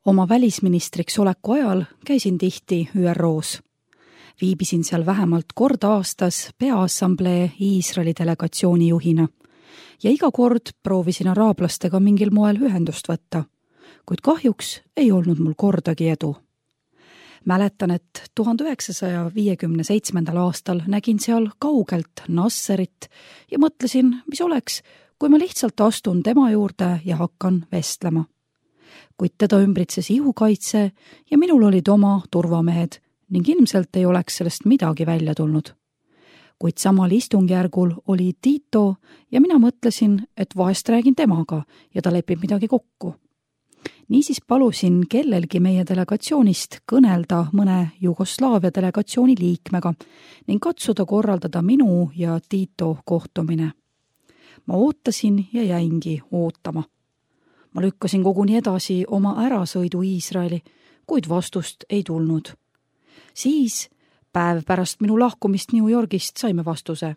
Oma välisministriks oleku ajal käisin tihti ÜROs. Viibisin seal vähemalt kord aastas Peaassamblee Iisraeli delegatsiooni juhina ja iga kord proovisin araablastega mingil moel ühendust võtta, kuid kahjuks ei olnud mul kordagi edu. Mäletan, et 1957. aastal nägin seal kaugelt Nasserit ja mõtlesin, mis oleks, kui ma lihtsalt astun tema juurde ja hakkan vestlema. Kuid teda ümbritses ihukaitse ja minul olid oma turvamehed ning ilmselt ei oleks sellest midagi välja tulnud. Kuid samal istungjärgul oli Tito ja mina mõtlesin, et vahest räägin temaga ja ta lepib midagi kokku. Niisiis palusin kellelgi meie delegatsioonist kõnelda mõne Jugoslaavia delegatsiooni liikmega ning katsuda korraldada minu ja Tito kohtumine. Ma ootasin ja jäingi ootama. Ma lükkasin koguni edasi oma ärasõidu Iisraeli, kuid vastust ei tulnud. Siis, päev pärast minu lahkumist New Yorgist, saime vastuse.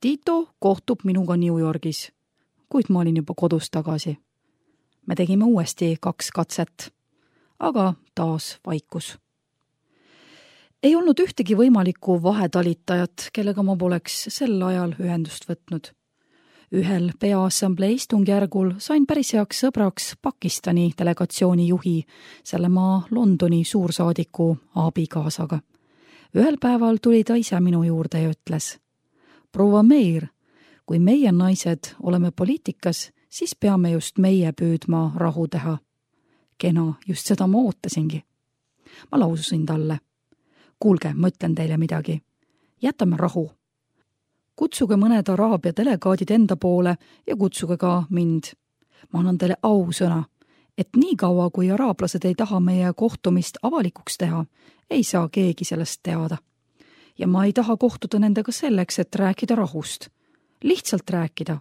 Tito kohtub minuga New Yorgis, kuid ma olin juba kodus tagasi. Me tegime uuesti 2 katset, aga taas vaikus. Ei olnud ühtegi võimalikku vahetalitajat, kellega ma poleks sel ajal ühendust võtnud. Ühel Peaassamblee istungjärgul sain päris heaks sõbraks Pakistani delegatsiooni juhi, selle maa Londoni suursaadiku abikaasaga. Ühel päeval tuli ta ise minu juurde ja ütles: "Proua Meir, kui meie naised oleme poliitikas, siis peame just meie püüdma rahu teha." Kena, just seda ma ootasingi. Ma laususin talle: "Kuulge, ma ütlen teile midagi. Jätame rahu. Kutsuge mõned araabia delegaadid enda poole ja kutsuge ka mind. Ma annan teile ausõna, et nii kaua, kui araablased ei taha meie kohtumist avalikuks teha, ei saa keegi sellest teada. Ja ma ei taha kohtuda nendega selleks, et rääkida rahust. Lihtsalt rääkida.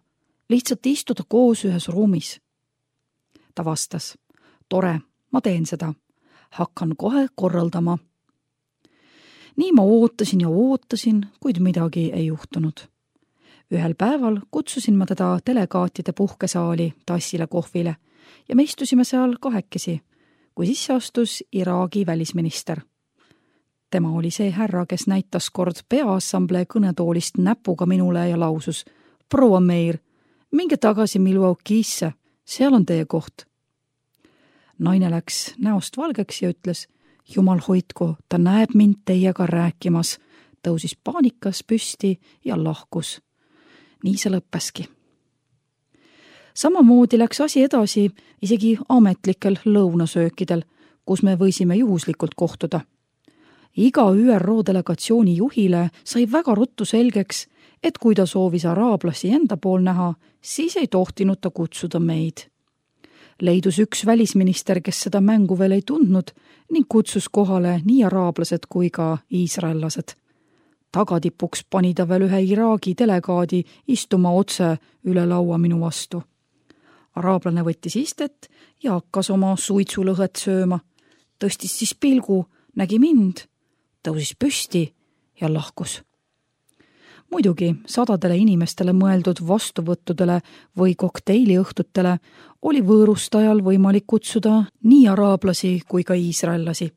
Lihtsalt istuda koos ühes ruumis." Ta vastas: "Tore, ma teen seda. Hakkan kohe korraldama." Nii ma ootasin ja ootasin, kuid midagi ei juhtunud. Ühel päeval kutsusin ma teda delegaatide puhkesaali tassile kohvile ja me istusime seal kahekesi, kui sisse astus Iraagi välisminister. Tema oli see härra, kes näitas kord Peaassamblee kõnetoolist näpuga minule ja lausus: "Proua Meir, minge tagasi Milwaukee'sse, seal on teie koht." Naine läks näost valgeks ja ütles: "Jumal hoidku, ta näeb mind teiega rääkimas", tõusis paanikas püsti ja lahkus. Nii see lõppeski. Samamoodi läks asi edasi isegi ametlikel lõunasöökidel, kus me võisime juhuslikult kohtuda. Iga ÜRO delegatsiooni juhile sai väga ruttu selgeks, et kui ta soovis araablasi enda pool näha, siis ei tohtinud ta kutsuda meid. Leidus üks välisminister, kes seda mängu veel ei tundnud ning kutsus kohale nii araablased kui ka iisraellased. Tagatipuks pani ta veel ühe Iraagi delegaadi istuma otse üle laua minu vastu. Araablane võttis istet ja hakkas oma suitsulõhet sööma. Tõstis siis pilgu, nägi mind, tõusis püsti ja lahkus. Muidugi sadadele inimestele mõeldud vastuvõttudele või kokteiliõhtutele oli võõrustajal võimalik kutsuda nii araablasi kui ka iisraellasi,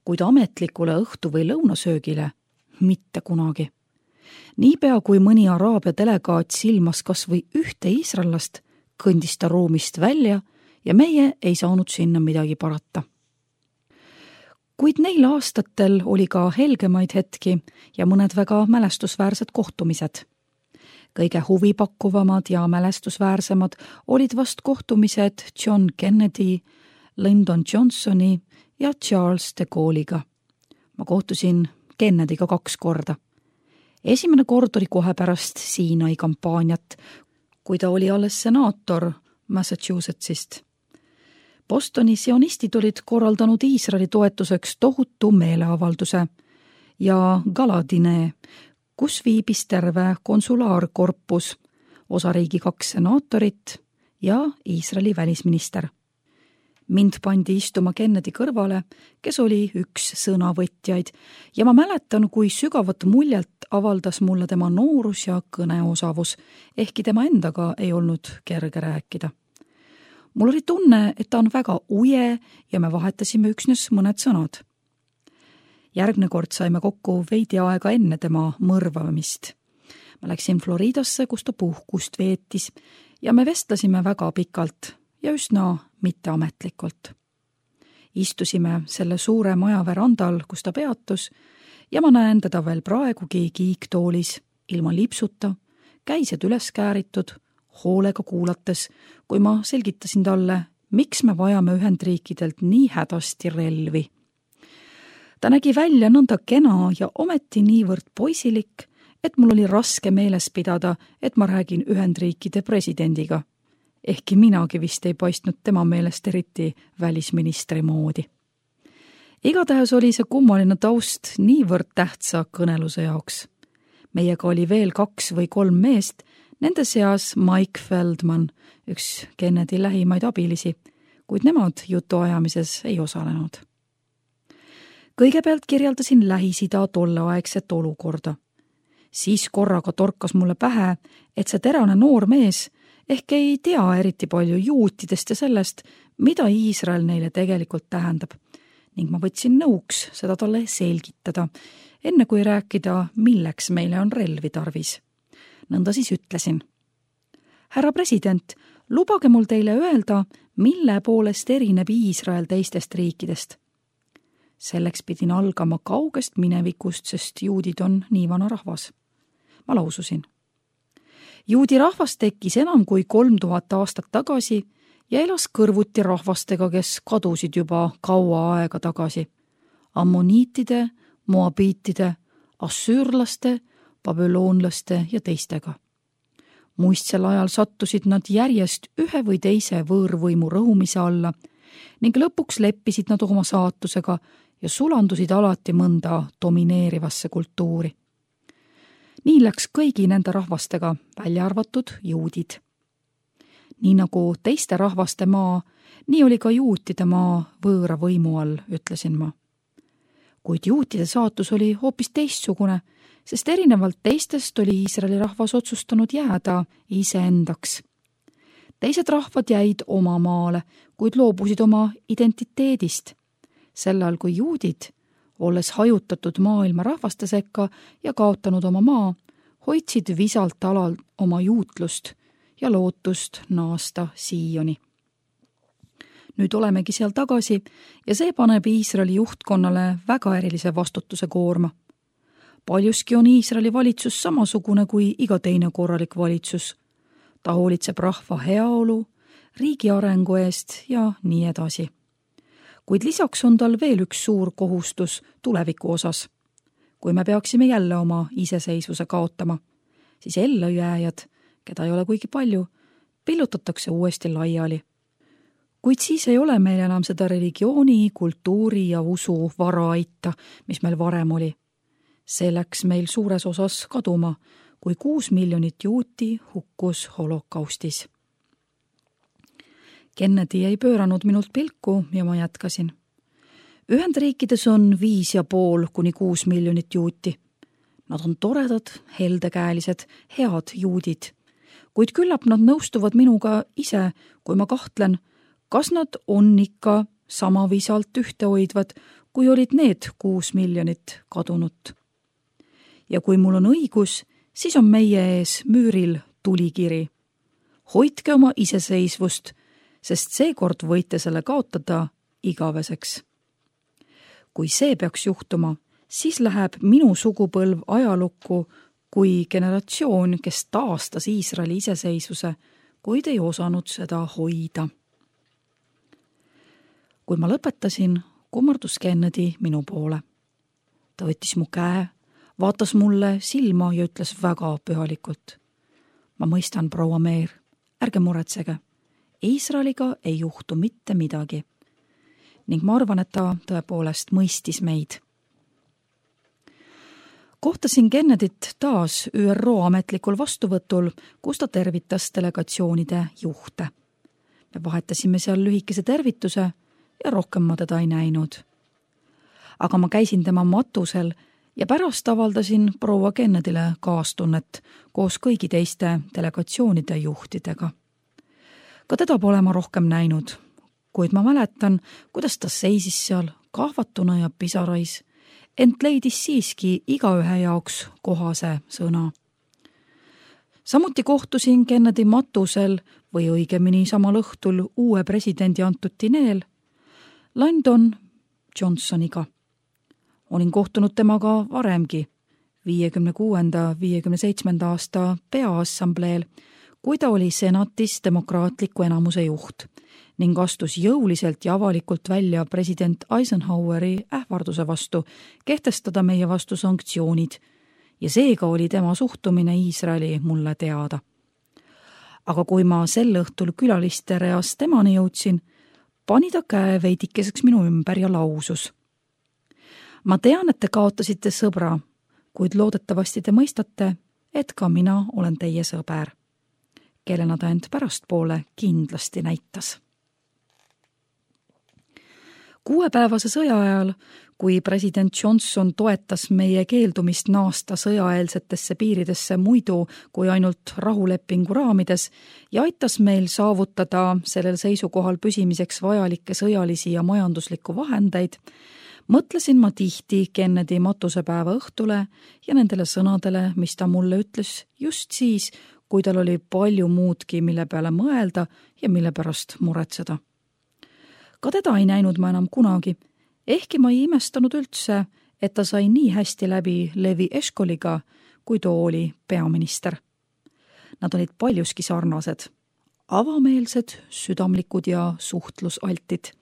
kuid ametlikule õhtu- või lõunasöögile mitte kunagi. Niipea kui mõni araabia delegaat silmas kas või ühte iisraellast, kõndis ta ruumist välja ja meie ei saanud sinna midagi parata. Kuid neil aastatel oli ka helgemaid hetki ja mõned väga mälestusväärsed kohtumised. Kõige huvipakkuvamad ja mälestusväärsemad olid vast kohtumised John Kennedy, Lyndon Johnsoni ja Charles de Gaulle'iga. Ma kohtusin Kennedy'ga 2 korda. Esimene kord oli kohe pärast Siinai kampaaniat, kui ta oli alles senaator Massachusettsist. Bostoni sionistid olid korraldanud Iisraeli toetuseks tohutu meeleavalduse ja galadine, kus viibis terve konsulaarkorpus, osariigi 2 senaatorit ja Iisraeli välisminister. Mind pandi istuma Kennedy kõrvale, kes oli üks sõnavõtjaid ja ma mäletan, kui sügavat muljet avaldas mulle tema noorus ja kõneosavus, ehkki tema endaga ei olnud kerge rääkida. Mul oli tunne, et ta on väga uje ja me vahetasime üksnes mõned sõnad. Järgmine kord saime kokku veidi aega enne tema mõrvamist. Ma läksin Floridasse, kus ta puhkust veetis ja me vestlesime väga pikalt ja üsna mitteametlikult. Istusime selle suure maja verandal, kus ta peatus ja ma näen teda veel praegugi kiiktoolis, ilma lipsuta, käised üles kääritud, hoolega kuulates, kui ma selgitasin talle, miks me vajame Ühendriikidelt nii hädasti relvi. Ta nägi välja nõnda kena ja ometi niivõrd poisilik, et mul oli raske meeles pidada, et ma räägin Ühendriikide presidendiga. Ehkki minagi vist ei paistnud tema meelest eriti välisministri moodi. Igatahes oli see kummaline taust niivõrd tähtsa kõneluse jaoks. Meiega oli veel 2 või 3 meest, nende seas Mike Feldman, üks Kennedy lähimaid abilisi, kuid nemad jutuajamises ei osalenud. Kõigepealt kirjeldasin Lähis-Ida tolleaegset olukorda. Siis korraga torkas mulle pähe, et see terane noor mees ehk ei tea eriti palju juutidest ja sellest, mida Iisrael neile tegelikult tähendab, ning ma võtsin nõuks seda talle selgitada, enne kui rääkida, milleks meile on relvi tarvis. Nõnda siis ütlesin. Härra president, lubage mul teile öelda, mille poolest erineb Iisrael teistest riikidest. Selleks pidin algama kaugest minevikust, sest juudid on nii vana rahvas. Ma laususin. Juudi rahvas tekkis enam kui 3000 aastat tagasi ja elas kõrvuti rahvastega, kes kadusid juba kaua aega tagasi. Ammoniitide, moabiitide, assüürlaste, babüloonlaste ja teistega. Muistsel ajal sattusid nad järjest ühe või teise võõrvõimu rõhumise alla ning lõpuks leppisid nad oma saatusega ja sulandusid alati mõnda domineerivasse kultuuri. Nii läks kõigi nende rahvastega, välja arvatud juudid. Nii nagu teiste rahvaste maa, nii oli ka juutide maa võõra võimu all, ütlesin ma. Kuid juutide saatus oli hoopis teistsugune, sest erinevalt teistest oli Iisraeli rahvas otsustanud jääda iseendaks. Teised rahvad jäid oma maale, kuid loobusid oma identiteedist. Sel ajal kui juudid, olles hajutatud maailma rahvaste sekka ja kaotanud oma maa, hoidsid visalt alal oma juutlust ja lootust naasta Sioni. Nüüd olemegi seal tagasi ja see paneb Iisraeli juhtkonnale väga erilise vastutuse koorma. Paljuski on Iisraeli valitsus samasugune kui iga teine korralik valitsus. Ta hoolitseb rahva heaolu, riigi arengu eest ja nii edasi. Kuid lisaks on tal veel üks suur kohustus tuleviku osas. Kui me peaksime jälle oma iseseisvuse kaotama, siis ellujääjad, keda ei ole kuigi palju, pillutatakse uuesti laiali. Kuid siis ei ole meil enam seda religiooni, kultuuri ja usu varaaita, mis meil varem oli. See läks meil suures osas kaduma, kui 6 miljonit juuti hukkus holokaustis. Kennedy ei pööranud minult pilku ja ma jätkasin. Ühendriikides on 5,5 kuni 6 miljonit juuti. Nad on toredad, heldekäelised, head juudid. Kuid küllap nad nõustuvad minuga ise, kui ma kahtlen, kas nad on ikka sama visalt ühtehoidvad, kui olid need 6 miljonit kadunut. Ja kui mul on õigus, siis on meie ees müüril tulikiri. Hoidke oma iseseisvust, sest seekord võite selle kaotada igaveseks. Kui see peaks juhtuma, siis läheb minu sugupõlv ajalukku kui generatsioon, kes taastas Iisraeli iseseisvuse, kuid ei osanud seda hoida. Kui ma lõpetasin, kummardus Kennedy minu poole. Ta võttis mu käe, vaatas mulle silma ja ütles väga pühalikult. Ma mõistan, proua Meer, ärge muretsege. Iisraeliga ei juhtu mitte midagi. Ning ma arvan, et ta tõepoolest mõistis meid. Kohtasin Kennedyt taas ÜRO ametlikul vastuvõtul, kus ta tervitas delegatsioonide juhte. Me vahetasime seal lühikese tervituse ja rohkem ma teda ei näinud. Aga ma käisin tema matusel ja pärast avaldasin proua Kennedyle kaastunnet koos kõigi teiste delegatsioonide juhtidega. Ka teda pole ma rohkem näinud, kuid ma mäletan, kuidas ta seisis seal kahvatuna ja pisarais, ent leidis siiski igaühe jaoks kohase sõna. Samuti kohtusin Kennedy matusel või õigemini samal õhtul uue presidendi antud dineel Lyndon Johnsoniga. Olin kohtunud temaga varemgi, 56.–57. aasta peaassambleel, kui ta oli senatis demokraatliku enamuse juht ning astus jõuliselt ja avalikult välja president Eisenhoweri ähvarduse vastu kehtestada meie vastu sanktsioonid ja seega oli tema suhtumine Iisraeli mulle teada. Aga kui ma sel õhtul külaliste reas temani jõudsin, pani ta käe veidikeseks minu ümber ja lausus. Ma tean, et te kaotasite sõbra, kuid loodetavasti te mõistate, et ka mina olen teie sõber, kellena ta end pärastpoole kindlasti näitas. 6-päevase sõja ajal, kui president Johnson toetas meie keeldumist naasta sõjaeelsetesse piiridesse muidu kui ainult rahulepingu raamides ja aitas meil saavutada sellel seisukohal püsimiseks vajalikke sõjalisi ja majanduslikku vahendeid, mõtlesin ma tihti Kennedy matusepäeva õhtule ja nendele sõnadele, mis ta mulle ütles just siis, kui tal oli palju muudki, mille peale mõelda ja mille pärast muretseda. Ka teda ei näinud ma enam kunagi, ehkki ma ei imestanud üldse, et ta sai nii hästi läbi Levi Eshkoliga, kui too oli peaminister. Nad olid paljuski sarnased, avameelsed, südamlikud ja suhtlusaltid.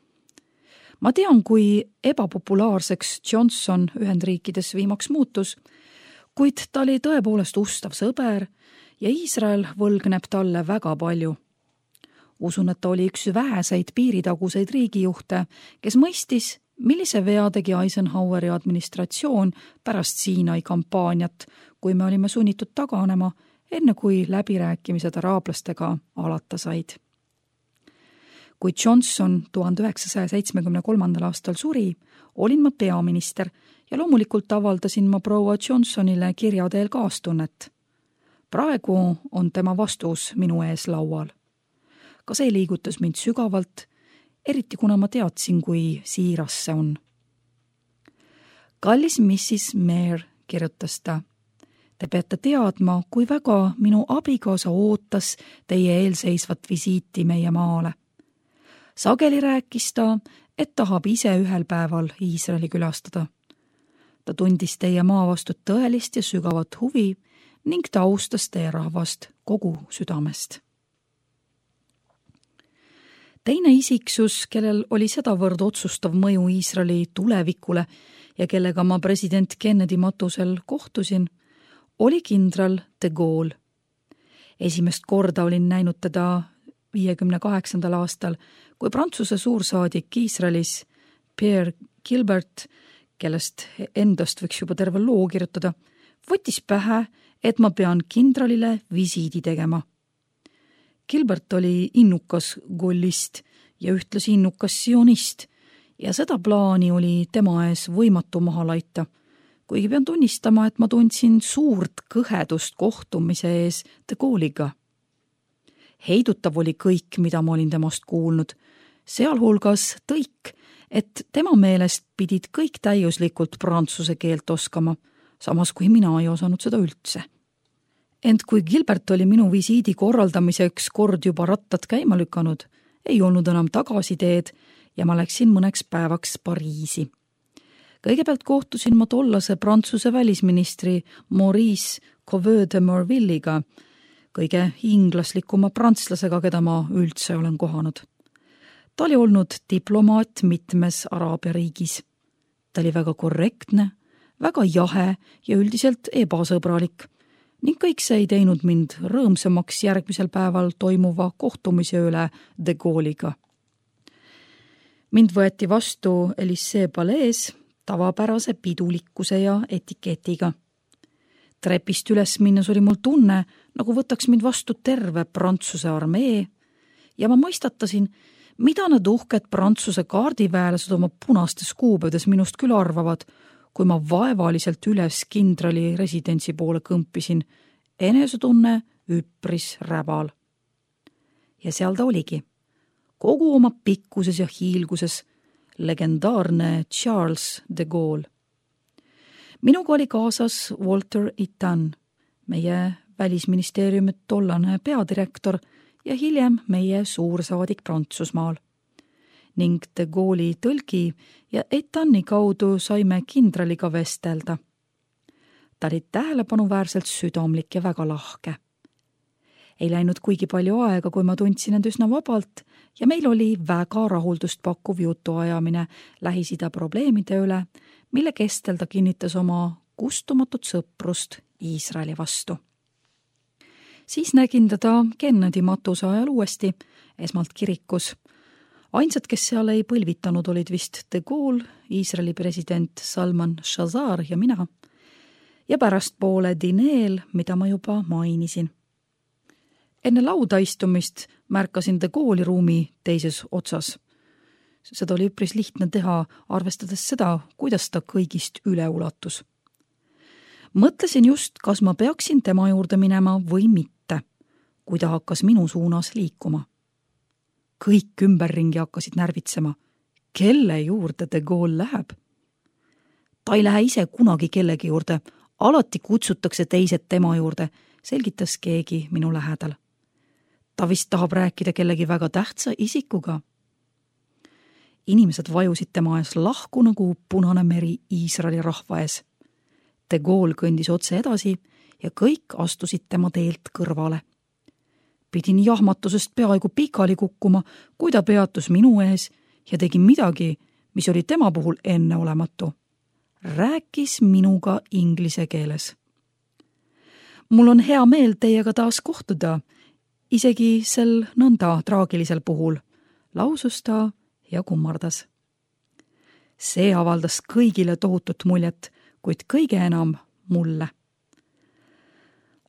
Ma tean, kui ebapopulaarseks Johnson Ühendriikides viimaks muutus, kuid ta oli tõepoolest ustav sõber ja Iisrael võlgneb talle väga palju. Usun, et ta oli üks väheseid piiritaguseid riigijuhte, kes mõistis, millise vea tegi Eisenhoweri administratsioon pärast Siinai kampaaniat, kui me olime sunnitud taganema, enne kui läbirääkimised araablastega alata said. Kui Johnson 1973. aastal suri, olin ma peaminister ja loomulikult avaldasin ma proua Johnsonile kirja teel kaastunnet. Praegu on tema vastus minu ees laual. Ka see liigutas mind sügavalt, eriti kuna ma teadsin, kui siiras see on. Kallis Mrs. Mayer, kirjutas ta, te peate teadma, kui väga minu abikaasa ootas teie eelseisvat visiiti meie maale. Sageli rääkis ta, et tahab ise ühel päeval Iisraeli külastada. Ta tundis teie maa vastu tõelist ja sügavat huvi ning ta austas teie rahvast kogu südamest. Teine isiksus, kellel oli sedavõrd otsustav mõju Iisraeli tulevikule ja kellega ma president Kennedy matusel kohtusin, oli kindral de Gaulle. Esimest korda olin näinud teda 58. aastal, kui Prantsuse suursaadik Iisraelis Pierre Gilbert, kellest endast võiks juba terve loo kirjutada, võttis pähe, et ma pean kindralile visiidi tegema. Gilbert oli innukas gollist ja ühtlasi innukas sionist ja seda plaani oli tema ees võimatu maha laita, kuigi pean tunnistama, et ma tundsin suurt kõhedust kohtumise ees de Gaulle'iga. Heidutav oli kõik, mida ma olin temast kuulnud, sealhulgas tõik, et tema meelest pidid kõik täiuslikult prantsuse keelt oskama, samas kui mina ei osanud seda üldse. Ent kui Gilbert oli minu visiidi korraldamiseks kord juba rattad käima lükanud, ei olnud enam tagasiteed ja ma läksin mõneks päevaks Pariisi. Kõigepealt kohtusin ma tollase Prantsuse välisministri Maurice Couvet de Morville'iga, kõige inglaslikuma prantslasega, keda ma üldse olen kohanud. Ta oli olnud diplomaat mitmes Araabia riigis. Ta oli väga korrektne, väga jahe ja üldiselt ebasõbralik ning kõik see ei teinud mind rõõmsamaks järgmisel päeval toimuva kohtumise üle de Gaulle'iga. Mind võeti vastu Élysée palees tavapärase pidulikkuse ja etiketiga. Trepist üles minnes oli mul tunne, nagu võtaks mind vastu terve Prantsuse armee ja ma mõistatasin, mida need uhked Prantsuse kaardiväelased oma punastes kuupäevades minust küll arvavad, kui ma vaevaliselt üles kindrali residentsi poole kõmpisin, enesetunne üpris räbal. ja seal ta oligi. Kogu oma pikkuses ja hiilguses legendaarne Charles de Gaulle. Minuga oli kaasas Walter Itan, meie välisministeeriumi tollane peadirektor ja hiljem meie suursaadik Prantsusmaal. Ning de Gaulle'i tõlgi ja Itani kaudu saime kindraliga vestelda. Ta oli tähelepanuväärselt südamlik ja väga lahke. Ei läinud kuigi palju aega, kui ma tundsin end üsna vabalt ja meil oli väga rahuldust pakkuv jutuajamine Lähis-Ida probleemide üle, mille kestel ta kinnitas oma kustumatut sõprust Iisraeli vastu. Siis nägin teda Kennedy matuse ajal uuesti, esmalt kirikus. Ainsad, kes seal ei põlvitanud, olid vist de Gaulle, Iisraeli president Salman Shazar ja mina. Ja pärastpoole dineel, mida ma juba mainisin. Enne lauda istumist märkasin de Gaulle'i ruumi teises otsas. Seda oli üpris lihtne teha, arvestades seda, kuidas ta kõigist üle ulatus. Mõtlesin just, kas ma peaksin tema juurde minema või mitte, kui ta hakkas minu suunas liikuma. Kõik ümberringi hakkasid närvitsema. Kelle juurde de Gaulle läheb? Ta ei lähe ise kunagi kellegi juurde, alati kutsutakse teised tema juurde, selgitas keegi minu lähedal. Ta vist tahab rääkida kellegi väga tähtsa isikuga. Inimesed vajusid tema ees lahku nagu punane meri Iisraeli rahva ees. De Gaulle kõndis otse edasi ja kõik astusid tema teelt kõrvale. Pidin jahmatusest peaaegu pikali kukkuma, kui ta peatus minu ees ja tegi midagi, mis oli tema puhul enneolematu. Rääkis minuga inglise keeles. Mul on hea meel teiega taas kohtuda, isegi sel nõnda traagilisel puhul, lausus ta ja kummardas. See avaldas kõigile tohutut muljet, kuid kõige enam mulle.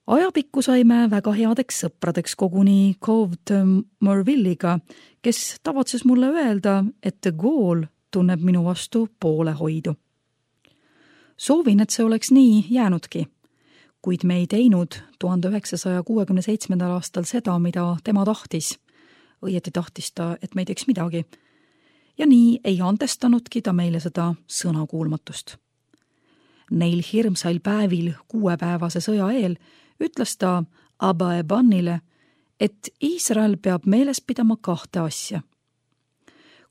Ajapikku saime väga headeks sõpradeks koguni Cove de Morville'iga, kes tavatses mulle öelda, et de Gaulle tunneb minu vastu poolehoidu. Soovin, et see oleks nii jäänudki, kuid me ei teinud 1967. aastal seda, mida tema tahtis. Õieti tahtis ta, et me ei teeks midagi. Ja nii ei andestanudki ta meile seda sõnakuulmatust. Neil hirmsail päevil 6-päevase sõja eel ütles ta Abba Ebanile, et Iisrael peab meeles pidama 2 asja.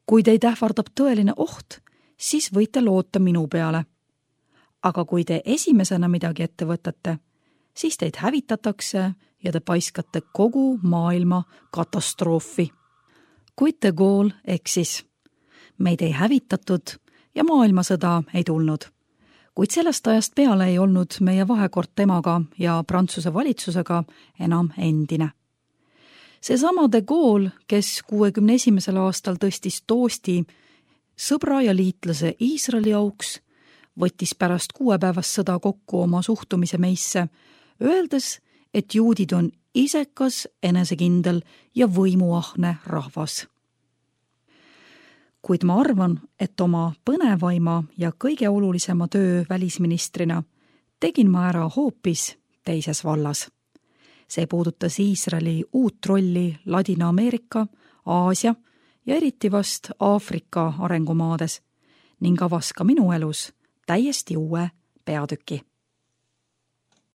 Kui teid ähvardab tõeline oht, siis võite loota minu peale. Aga kui te esimesena midagi ette võtate, siis teid hävitatakse ja te paiskate kogu maailma katastroofi. Kuid de Gaulle eksis. Meid ei hävitatud ja maailmasõda ei tulnud. Kuid sellest ajast peale ei olnud meie vahekord temaga ja Prantsuse valitsusega enam endine. Seesama de Gaulle, kes 61. aastal tõstis toosti sõbra ja liitlase Iisraeli auks, võttis pärast 6-päevast sõda kokku oma suhtumise meisse, öeldes, et juudid on isekas, enesekindel ja võimuahne rahvas. Kuid ma arvan, et oma põnevaima ja kõige olulisema töö välisministrina tegin ma ära hoopis teises vallas. See puudutas Iisraeli uut rolli Ladina-Ameerika, Aasia ja eriti vast Aafrika arengumaades ning avas ka minu elus täiesti uue peatüki.